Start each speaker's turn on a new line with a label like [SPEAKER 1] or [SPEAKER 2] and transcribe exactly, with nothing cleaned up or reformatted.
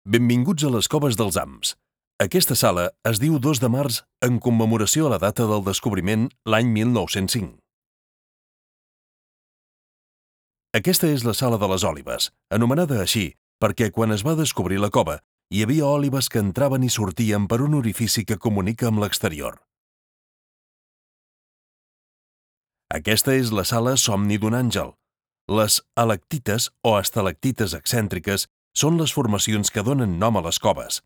[SPEAKER 1] Benvinguts a les Coves dels Hams. Aquesta sala es diu dos de març en commemoració a la data del descobriment l'any mil nou-cents cinc. Aquesta és la Sala de les Òlibes, anomenada així perquè quan es va descobrir la cova hi havia òlibes que entraven i sortien per un orifici que comunica amb l'exterior. Aquesta és la sala Somni d'un àngel. Les alactites o estalactites excèntriques són les formacions que donen nom a les coves.